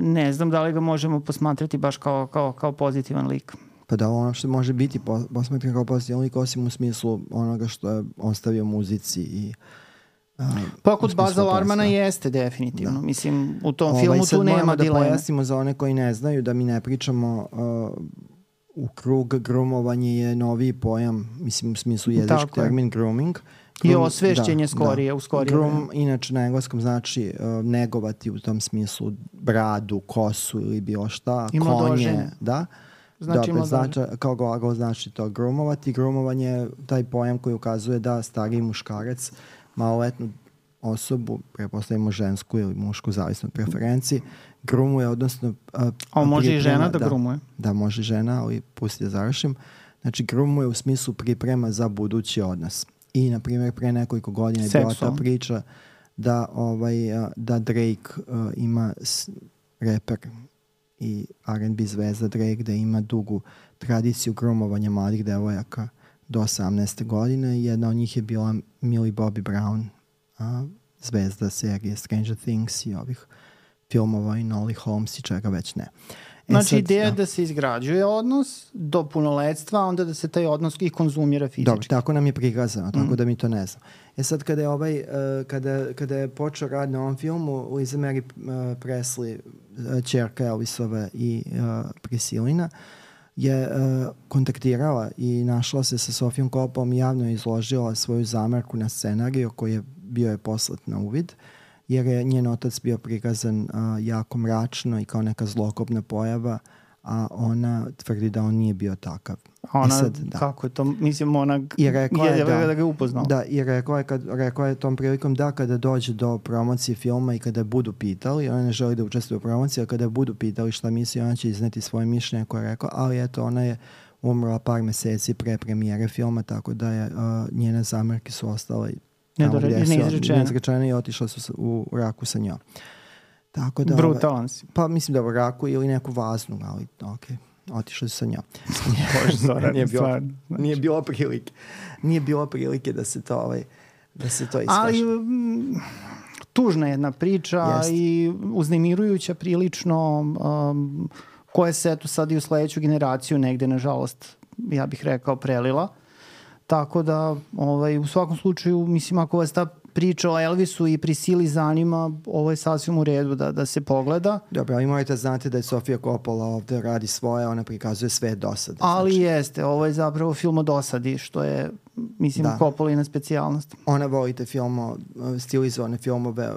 ne znam da li ga možemo posmatrati baš kao, kao, kao pozitivan lik. Pa da, ono što može biti posmatran kao pozitivan lik, osim u smislu onoga što je ostavio muzici i uh, pa kod Baza Larmana jeste definitivno. Da. Mislim, u tom ovaj, filmu tu nema da dilema. Pojasnimo za one koji ne znaju da mi ne pričamo uh, u krug grumovanje je noviji pojam, mislim u smislu jezički termin grooming. I osvešćenje da, skorije, da. u skorije. Groom, inače na engleskom znači uh, negovati u tom smislu bradu, kosu ili bilo šta, I konje, da. Znači Dobre, znači, kao glagol znači to groomovati. Groomovanje je taj pojam koji ukazuje da stariji muškarac maloletnu osobu, prepostavimo žensku ili mušku, zavisno od preferenciji, grumuje, odnosno... A, a može i žena da, da grumuje? Da, može žena, ali pusti da završim. Znači, grumuje u smislu priprema za budući odnos. I, na primjer, pre nekoliko godina je bila ta priča da, ovaj, da Drake uh, ima s, reper i R and B zvezda Drake da ima dugu tradiciju grumovanja mladih devojaka do osamnaeste godine. Jedna od njih je bila Millie Bobby Brown, a, zvezda serije Stranger Things i ovih filmova i Nolly Holmes i čega već ne. E znači sad, ideja da. da se izgrađuje odnos do punoletstva, onda da se taj odnos i konzumira fizički. Dobro, tako nam je prikazano, tako mm. da mi to ne znam. E sad kada je, ovaj, uh, kada, kada je počeo rad na ovom filmu, Liza Mary uh, Presley, uh, ćerka Elvisove i uh, Prisilina, je uh, kontaktirala i našla se sa Sofijom Coppolom i javno izložila svoju zamerku na scenariju koji je bio je poslat na uvid, jer je njen otac bio prikazan uh, jako mračno i kao neka zlokobna pojava, a ona tvrdi da on nije bio takav. Ona, I sad, da. kako je to, mislim, ona I rekao je, je da, da ga je upoznao. Da, i rekao je, kad, rekao je tom prilikom da kada dođe do promocije filma i kada budu pitali, ona ne želi da učestvuje u promociji, a kada budu pitali šta misli, ona će izneti svoje mišljenje koje je rekao, ali eto, ona je umrla par meseci pre premijere filma, tako da je uh, njene zamerke su ostale tamo gdje su neizrečene i otišla su u raku sa njom. Tako da, brutalan si. Pa mislim da u raku ili neku vaznu, ali okej. Okay. Otišli su sa njom. Bože, Zoran, nije, bilo, stvar, znači. nije bilo prilike. Nije bilo prilike da se to, ovaj, da se to iskaže. Ali m, tužna jedna priča. Jest. I uznemirujuća prilično, um, koja se eto sad i u sledeću generaciju negde, nažalost, ja bih rekao, prelila. Tako da, ovaj, u svakom slučaju, mislim, ako vas ta priča o Elvisu i Prisili zanima, ovo je sasvim u redu da, da se pogleda. Dobro, ali morate znati da je Sofia Coppola ovde radi svoje, ona prikazuje sve dosade. Ali znači. Jeste, ovo je zapravo film o dosadi, što je, mislim, da. Coppolina specijalnost. Ona volite filmo, stilizovane filmove,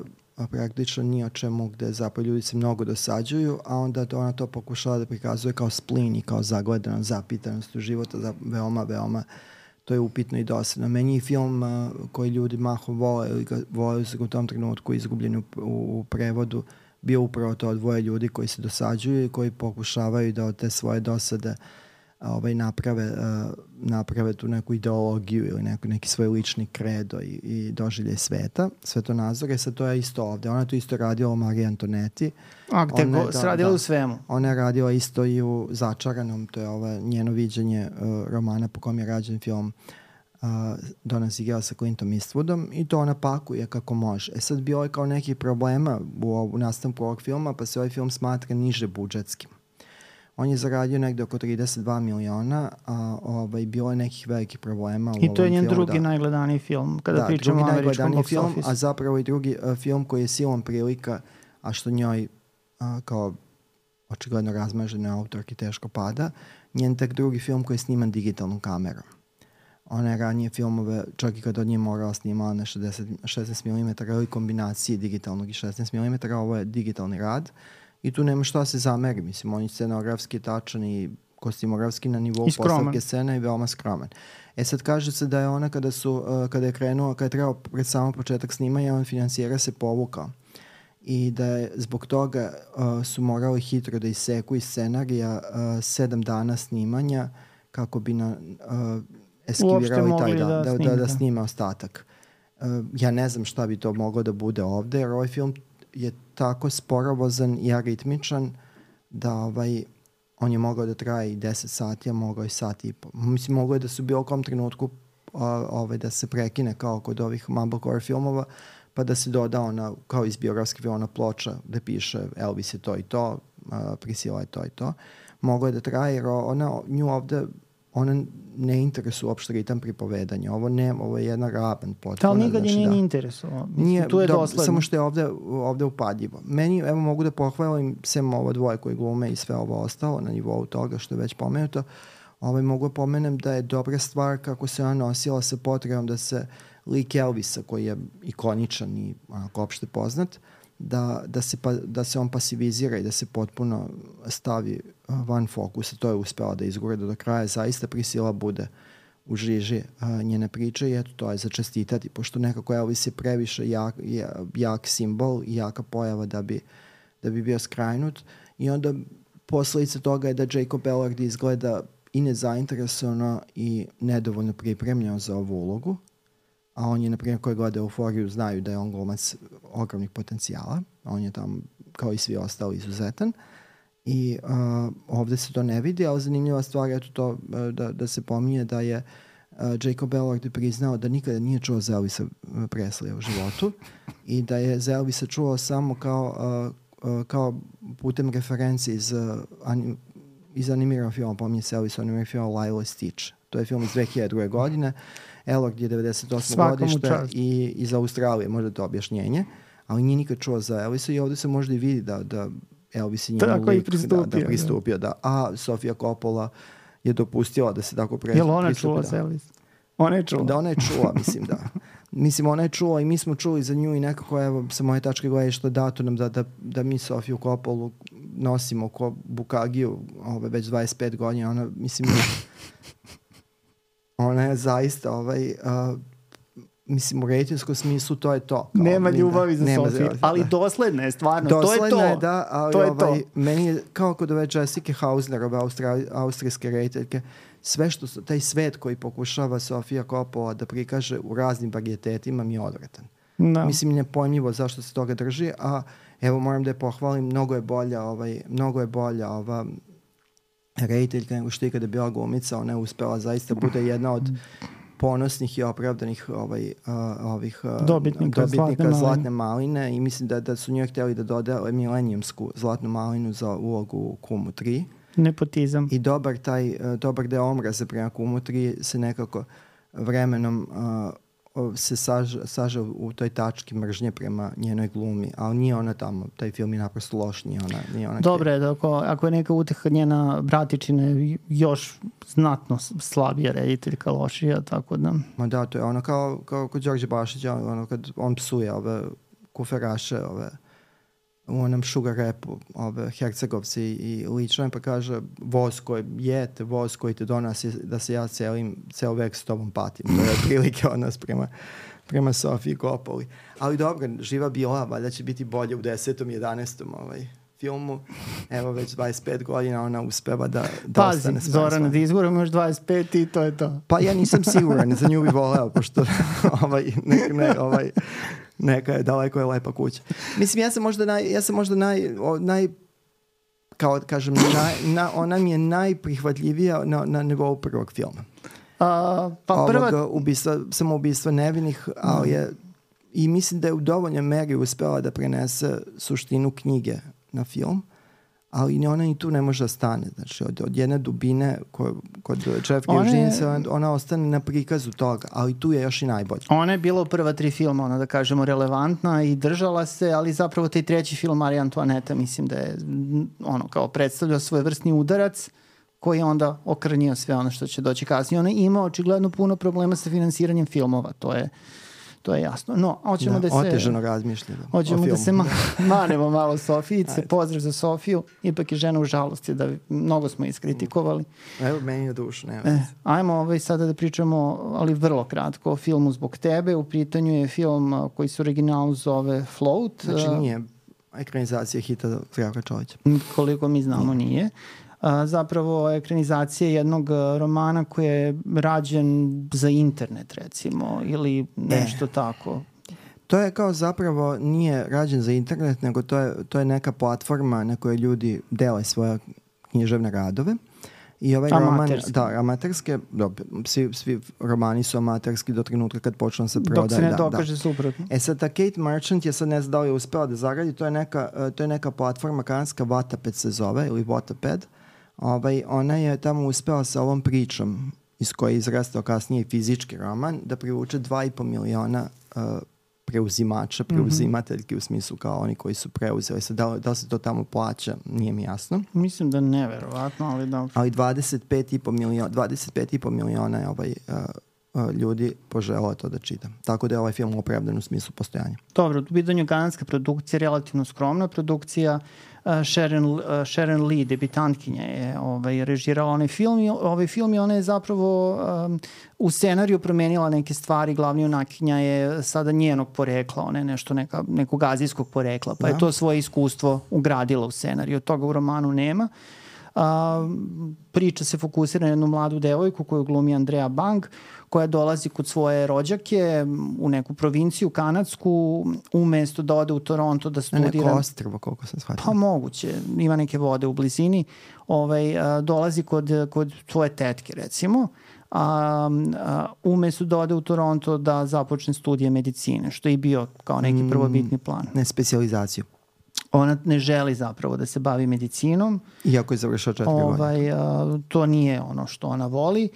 praktično ni o čemu, gde zapravo ljudi se mnogo dosađuju, a onda to, ona to pokušala da prikazuje kao splin i kao zagledanost, zapitanost u života, za veoma, veoma to je upitno i dosadno. Meni je film uh, koji ljudi mahom vole ili ga vole u tom trenutku izgubljeni u, u, u prevodu bio upravo to dvoje ljudi koji se dosađuju i koji pokušavaju da od te svoje dosade uh, ovaj, naprave, uh, naprave tu neku ideologiju ili neku, neki svoj lični kredo i, i doživljaj sveta, svetonazore. Sad to je isto ovde. Ona to isto radila u Mariji Antoneti. A gde go, se radila da, u svemu? Ona je radila isto i u Začaranom, to je ovo njeno viđenje uh, romana po kom je rađen film uh, Dona Sigela sa Clintom Eastwoodom i to ona pakuje kako može. E sad bilo je kao nekih problema u, u nastavku ovog filma, pa se ovaj film smatra niže budžetskim. On je zaradio negde oko trideset dva miliona, a ovaj, bilo je nekih velikih problema u ovom filmu. I to je njen drugi da, najgledaniji film, kada da, pričamo o američkom box film, office. A zapravo i drugi uh, film koji je silom prilika, a što njoj uh, kao očigledno razmažene autorki teško pada, njen tek drugi film koji je sniman digitalnom kamerom. Ona je ranije filmove, čak i kada od nje morala snimala na šesnaest milimetara ili kombinaciji digitalnog i šesnaest milimetara, ovo je digitalni rad. I tu nema šta se zameri, mislim, on je scenografski tačan i kostimografski na nivou postavke scena i veoma skroman. E sad kaže se da je ona kada su, uh, kada je krenuo, kada je trebao pred samo početak snimanja, on financijera se povukao. I da je zbog toga uh, su morali hitro da iseku iz scenarija uh, sedam dana snimanja kako bi na, uh, eskivirali taj dan, da, da, da, da snima ostatak. Uh, ja ne znam šta bi to moglo da bude ovde, jer ovaj film je tako sporovozan i aritmičan da ovaj, on je mogao da traje i deset sati, a mogao i sat i pol. Mislim, mogao je da su u bilo kom trenutku a, ovaj, da se prekine kao kod ovih mumblecore filmova, pa da se doda ona, kao iz biografske ona ploča da piše Elvis je to i to, a, Priscilla je to i to. Mogao je da traje, jer ona, nju ovde ona ne interesuje uopšte ritam pripovedanja. Ovo ne, ovo je jedna raban potpuno. Ali nikad je znači, nije da. ni interesovao. Nije, tu je da, dosledno. samo što je ovde, ovde upadljivo. Meni, evo, mogu da pohvalim sem ovo dvoje koji glume i sve ovo ostalo na nivou toga što je već pomenuto. Ovaj, mogu da pomenem da je dobra stvar kako se ona nosila sa potrebom da se lik Elvisa, koji je ikoničan i onako opšte poznat, da, da, se pa, da se on pasivizira i da se potpuno stavi van fokusa. To je uspela da izgura do kraja. Zaista Priscilla bude u žiži a, njene priče i eto, to je za čestitati, pošto nekako Elvis je previše jak, jak simbol i jaka pojava da bi, da bi bio skrajnut. I onda posledica toga je da Jacob Elordi izgleda i nezainteresovano i nedovoljno pripremljeno za ovu ulogu. A on je, na primjer, koji gleda Euforiju, znaju da je on glumac ogromnih potencijala. On je tam, kao i svi ostali, izuzetan. I uh, ovde se to ne vidi, ali zanimljiva stvar je to uh, da, da se pominje da je uh, Jacob Elordi priznao da nikada nije čuo za Elvisa Preslija u životu i da je za Elvisa čuo samo kao, uh, uh, kao putem referenci iz, uh, anim, iz animiranog filma, pominje se Elvis animiranog filma Lilo i Stitch. To je film iz dve hiljade druge. godine. Elordi je devedeset osme godište i iz Australije, možda to objašnjenje, ali nije nikad čuo za Elvisa i ovde se možda i vidi da, da Elvis je njemu lik pristupio, da, da pristupio. Da. A Sofia Coppola je dopustila da se tako pre, Jel ona pristupi. čula Da. za Elvis? Ona je čula? Da, ona je čula, mislim da. Mislim, ona je čula i mi smo čuli za nju i nekako, evo, sa moje tačke gledišta dato nam da, da, da mi Sofiju Coppolu nosimo ko Bukagiju ove, već dvadeset pet godina. Ona, mislim, ona je zaista ovaj, uh, mislim, u rejtinskom smislu to je to. Kao, nema ljubavi za nema Sofiju, ali dosledna je stvarno. Dosledna to je to. je, da, ali to je ovaj, to. meni je kao kod ove Jessica Hausner, ove Austra, austrijske rejteljke, sve što, taj svet koji pokušava Sofia Coppola da prikaže u raznim varietetima mi je odvratan. Da. Mislim, nepojmljivo zašto se toga drži, a evo moram da je pohvalim, mnogo je bolja, ovaj, mnogo je bolja ova rejteljka nego što je kada je bila glumica. Ona je uspela zaista bude jedna od ponosnih i opravdanih ovaj, a, ovih a, dobitnika, dobitnika zlatne, zlatne maline i mislim da, da su njoj htjeli da dodele milenijumsku zlatnu malinu za ulogu u Kumu tri. Nepotizam. I dobar taj, dobar deo omraze prema Kumu tri se nekako vremenom uh, se saže, saže u toj tački mržnje prema njenoj glumi, ali nije ona tamo, taj film je naprosto loš, nije ona, nije ona Dobro je da ako, ako je neka uteha njena bratičina još znatno slabija rediteljka, lošija, tako da... Ma da, to je ono kao, kao kod Đorđe Bašića, ono kad on psuje ove kuferaše, ove u onom sugar rapu, ove hercegovci i lično, pa kaže voz koji jete, voz koji te donosi da se ja celim, ceo vek s tobom patim. To je prilike od nas prema, prema Sofiji Coppoli. Ali dobro, živa bila, valjda će biti bolje u desetom, jedanaestom ovaj, filmu. Evo već dvadeset pet godina ona uspeva da, da Pazi, ostane Pazi, Zorana, da izguramo još dvadeset pet i to je to. Pa ja nisam siguran, za nju bi voleo, pošto ovaj, ne, ne, ovaj, neka je daleko je lepa kuća. Mislim, ja sam možda naj, ja sam možda naj, o, naj kao kažem, naj, na, ona mi je najprihvatljivija na, na nivou prvog filma. A, pa prva... Ovoga ubistva, samoubistva nevinih, ali je, i mislim da je u dovoljnoj meri uspela da prenese suštinu knjige na film, ali ni ona ni tu ne može da stane. Znači, od, od jedne dubine ko, kod Jeffrey Eugene, ona, ona ostane na prikazu toga, ali tu je još i najbolje. Ona je bila u prva tri filma, ona da kažemo, relevantna i držala se, ali zapravo taj treći film Marija Antoaneta, mislim da je ono kao predstavljao svojevrsni udarac koji je onda okrnio sve ono što će doći kasnije. Ona ima očigledno puno problema sa finansiranjem filmova, to je To je jasno. No, hoćemo da, da se... Otežano razmišljamo. Hoćemo da se ma, manemo malo Sofijice. Pozdrav za Sofiju. Ipak je žena u žalosti, da mnogo smo iskritikovali. Evo, meni je duš, nema. E, ajmo ovaj sada da pričamo, ali vrlo kratko, o filmu Zbog tebe. U pitanju je film koji se originalno zove Float. Znači nije ekranizacija hita Zdravka Čolića. Koliko mi znamo nije. nije. A, zapravo ekranizacija jednog romana koji je rađen za internet, recimo, ili nešto e. tako. To je kao zapravo nije rađen za internet, nego to je, to je neka platforma na kojoj ljudi dele svoje književne radove. I ovaj amaterski. roman, da, amaterske, dobro, svi, svi romani su amaterski do trenutka kad počnu se prodaje. Dok se ne da, dokaže da. suprotno. E sad, ta Kate Merchant je sad ne znam da li je uspela da zaradi, to je neka, to je neka platforma kanadska, Wattpad se zove, ili Wattpad. Ovaj, ona je tamo uspela sa ovom pričom iz koje je izrastao kasnije fizički roman da privuče dva i po miliona uh, preuzimača, preuzimateljki u smislu kao oni koji su preuzeli. Sad, da, da se to tamo plaća, nije mi jasno. Mislim da neverovatno, ali da... Ali dvadeset pet i po miliona, dvadeset pet i po miliona je ovaj, uh, uh, ljudi poželao to da čita. Tako da je ovaj film opravdan u smislu postojanja. Dobro, u pitanju kanadska produkcija, relativno skromna produkcija. Uh, Sharon, uh, Sharon Lee, debitantkinja, je ovaj, režirala onaj film i ovaj film i ona je zapravo um, u scenariju promenila neke stvari. Glavni junakinja je sada njenog porekla, ona je nešto neka, nekog azijskog porekla, pa da. je to svoje iskustvo ugradila u scenariju. Od toga u romanu nema. Uh, priča se fokusira na jednu mladu devojku koju glumi Andrea Bang, koja dolazi kod svoje rođake u neku provinciju kanadsku, umesto da ode u Toronto da studira. Neko ostrvo, koliko sam shvatila. Pa moguće, ima neke vode u blizini. Ovaj, a, dolazi kod, kod tvoje tetke, recimo, a, a, umesto da ode u Toronto da započne studije medicine, što je i bio kao neki prvobitni plan. Ne, specijalizaciju. Ona ne želi zapravo da se bavi medicinom. Iako je završao četiri ovaj, godine. A, to nije ono što ona voli.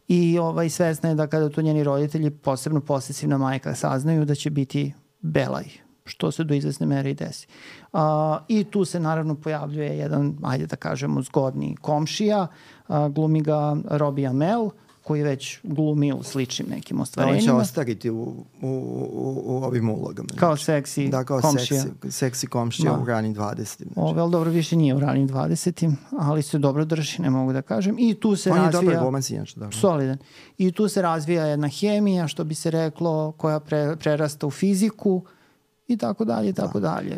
I ovaj, svesna je da kada to njeni roditelji, posebno posesivna majka, saznaju da će biti belaj, što se do izvesne mere i desi. A, I tu se naravno pojavljuje jedan, ajde da kažemo, zgodni komšija, a, glumi ga Robbie Amell, koji već glumi u sličnim nekim Da, on ostvarenjima. će ostariti u, u, u, u ovim ulogama. Kao znači. seksi Da, kao komšija. seksi, seksi komšija Da. u ranim dvadesetim. Znači. Ove, ali dobro, više nije u ranim dvadesetim, ali se dobro drži, ne mogu da kažem. I tu se On je razvija... dobar glumac inače, da. Solidan. I tu se razvija jedna hemija, što bi se reklo, koja pre, prerasta u fiziku i tako dalje, i tako dalje.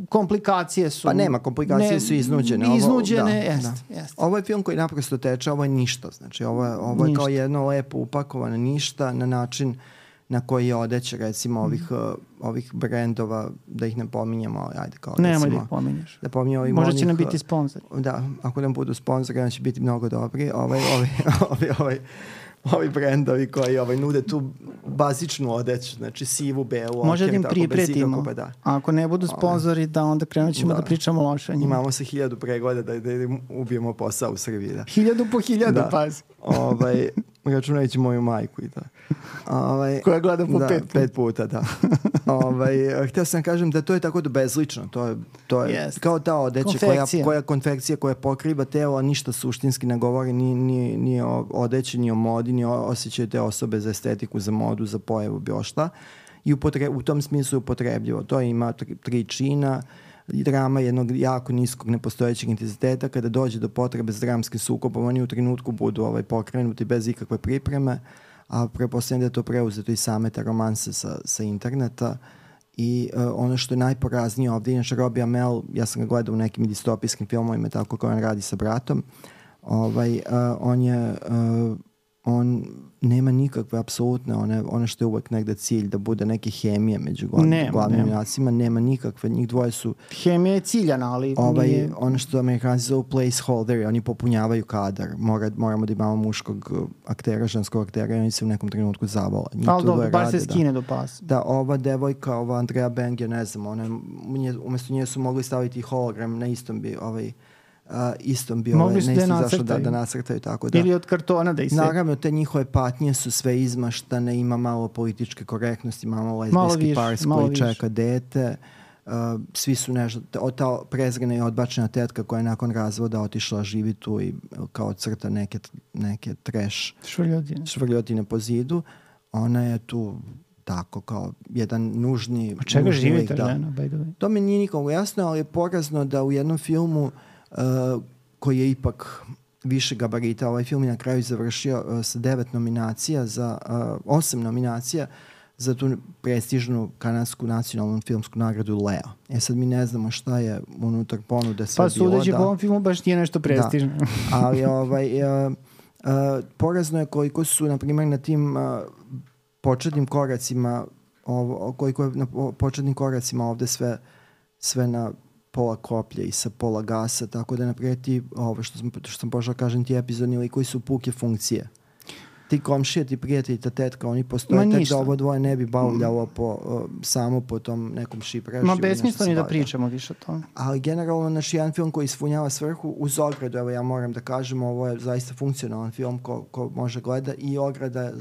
Komplikacije su... Pa nema, komplikacije ne, su iznuđene. Ovo, Iznuđene, da, jest, da. jest. Ovo je film koji naprosto teče, ovo je ništa. Znači, ovo je, ovo je Ništa. kao jedno lepo upakovano ništa na način na koji je odeće, recimo, ovih, uh, ovih brendova, da ih ne pominjemo, ali ajde kao, Nemoj recimo, da ih pominješ. da pominjemo ovih Možda će onih, nam biti sponzor. Da, ako nam budu sponzori, onda će biti mnogo dobri. Ovaj, ovaj, ovaj, ovaj, ovi brendovi koji ovaj, nude tu bazičnu odeću, znači sivu, belu, Može da okej, im tako, bez pripretimo. ikakvog, da. A ako ne budu sponzori, da onda krenut ćemo da, Da. pričamo loše o njima. Imamo se hiljadu pregleda da, da im ubijemo posao u Srbiji. Da. Hiljadu po hiljadu, Da. pazi. Ovaj, računajući moju majku i to. Ovaj, Koja gleda po da, pet puta. pet puta, da. ovaj, htio sam kažem da to je tako da bezlično. To je, to je Jest. kao ta odeća koja, Konfekcija. koja konfekcija koja pokriva telo, a ništa suštinski ne govori ni, ni, ni o odeći, ni o modi, ni o osjećaju te osobe za estetiku, za modu, za pojavu, bilo šta. I upotre, u tom smislu je upotrebljivo. To ima tri, tri čina, drama jednog jako niskog nepostojećeg intenziteta. Kada dođe do potrebe s dramskim sukobom, oni u trenutku budu ovaj, pokrenuti bez ikakve pripreme, a prepostavljam da je to preuzeto i same te romanse sa, sa interneta. I uh, ono što je najporaznije ovdje, inače Robbie Amell, ja sam ga gledao u nekim distopijskim filmovima, tako kao on radi sa bratom, ovaj, uh, on je uh, on nema nikakve apsolutne, one, one što je uvek negde cilj da bude neke hemije među glavnim, Nema, glavnim nema. junacima, nema nikakve, njih dvoje su Hemija je ciljana, ali ovaj, nije... ono što Amerikanci zovu placeholderi, oni popunjavaju kadar, Mora, moramo da imamo muškog uh, aktera, ženskog aktera i oni se u nekom trenutku zavole. Njih Ali tu dobro, dvoje bar rade, se da. skine do pasa. Da, ova devojka, ova Andrea Beng, ja ne znam, ona, nje, umjesto nje su mogli staviti hologram, na istom bi, ovaj, uh, istom bi, Mogli ovaj, su na da je istom zašlo da, nacrtaju. da nacrtaju, tako da. Ili od kartona da i sve. Naravno, te njihove patnje su sve izmaštane, ima malo političke korektnosti, imamo Malo lezbijski više, par malo koji više. čeka dete. Uh, svi su nešto, ta, ta prezrena i odbačena tetka koja je nakon razvoda otišla živi tu i kao crta neke, neke trash Švrljotine. švrljotine po zidu. Ona je tu tako kao jedan nužni... Od čega nužni živi lik, ta da. žena, by the way? To mi nije nikomu jasno, ali je porazno da u jednom filmu uh, koji je ipak više gabarita, ovaj film je na kraju završio uh, sa devet nominacija, za uh, osam nominacija za tu prestižnu kanadsku nacionalnu filmsku nagradu Leo. E sad mi ne znamo šta je unutar ponude sve Pa bilo. sudeći da. po ovom filmu baš nije nešto prestižno. Ali ovaj, uh, uh, porazno je koliko su, na primjer, na tim uh, početnim koracima ovo, koliko je na po- početnim koracima ovde sve, sve na pola koplje i sa pola gasa, tako da naprijed ti, ovo što sam, što sam pošao kažem, ti epizodni likovi su puke funkcije. Ti komšije, ti prijatelji, ta tetka, oni postoje Ma tek ništa. da ovo dvoje ne bi bavljalo po, uh, samo po tom nekom šiprešu. Ma ili nešto besmisleno se ni da bavi. pričamo više o tome. Ali generalno naš jedan film koji ispunjava svrhu uz ogradu, evo ja moram da kažem, ovo je zaista funkcionalan film ko, ko može gleda i ograda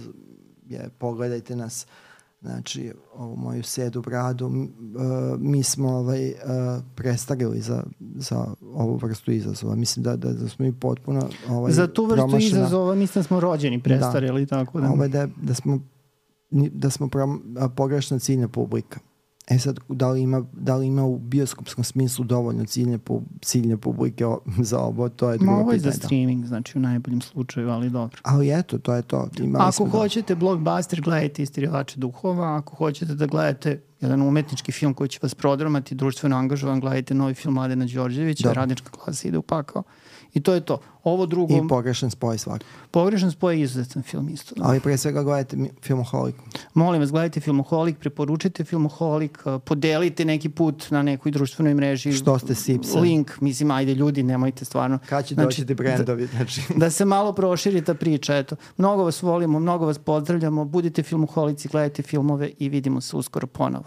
je, pogledajte nas, znači ovu moju sedu bradu, m, uh, mi smo ovaj, uh, prestarili za, za ovu vrstu izazova. Mislim da, da, da smo mi potpuno ovaj, Za tu vrstu promašena- izazova mislim da smo rođeni prestarili, tako da. Ovaj, da, da smo ni- da smo prom, a, pogrešna ciljna publika. E sad, da li ima, da li ima u bioskopskom smislu dovoljno ciljne, pu, ciljne publike o- za ovo, to je Ma drugo ovo je za pitanje. da. streaming, znači u najboljem slučaju, ali dobro. Ali eto, to je to. Imali Ako smo da- hoćete blockbuster, gledajte Istirivače duhova. Ako hoćete da gledate jedan umetnički film koji će vas prodramati, društveno angažovan, gledajte novi film Mladena Đorđevića, Da. Radnička klasa ide u pakao. I to je to. Ovo drugo, I pogrešan spoj svaki. Pogrešan spoj je izuzetan film isto. Da. Ali pre svega gledajte mi- Filmoholik. Molim vas, gledajte Filmoholik, preporučite Filmoholik, uh, podelite neki put na nekoj društvenoj mreži. Što ste sipsa? Link, mislim, ajde ljudi, nemojte stvarno. Kad će Znači, doći ti brendovi? Znači, Da se malo proširi ta priča, eto. Mnogo vas volimo, mnogo vas pozdravljamo, budite filmoholici, gledajte filmove i vidimo se uskoro ponovo.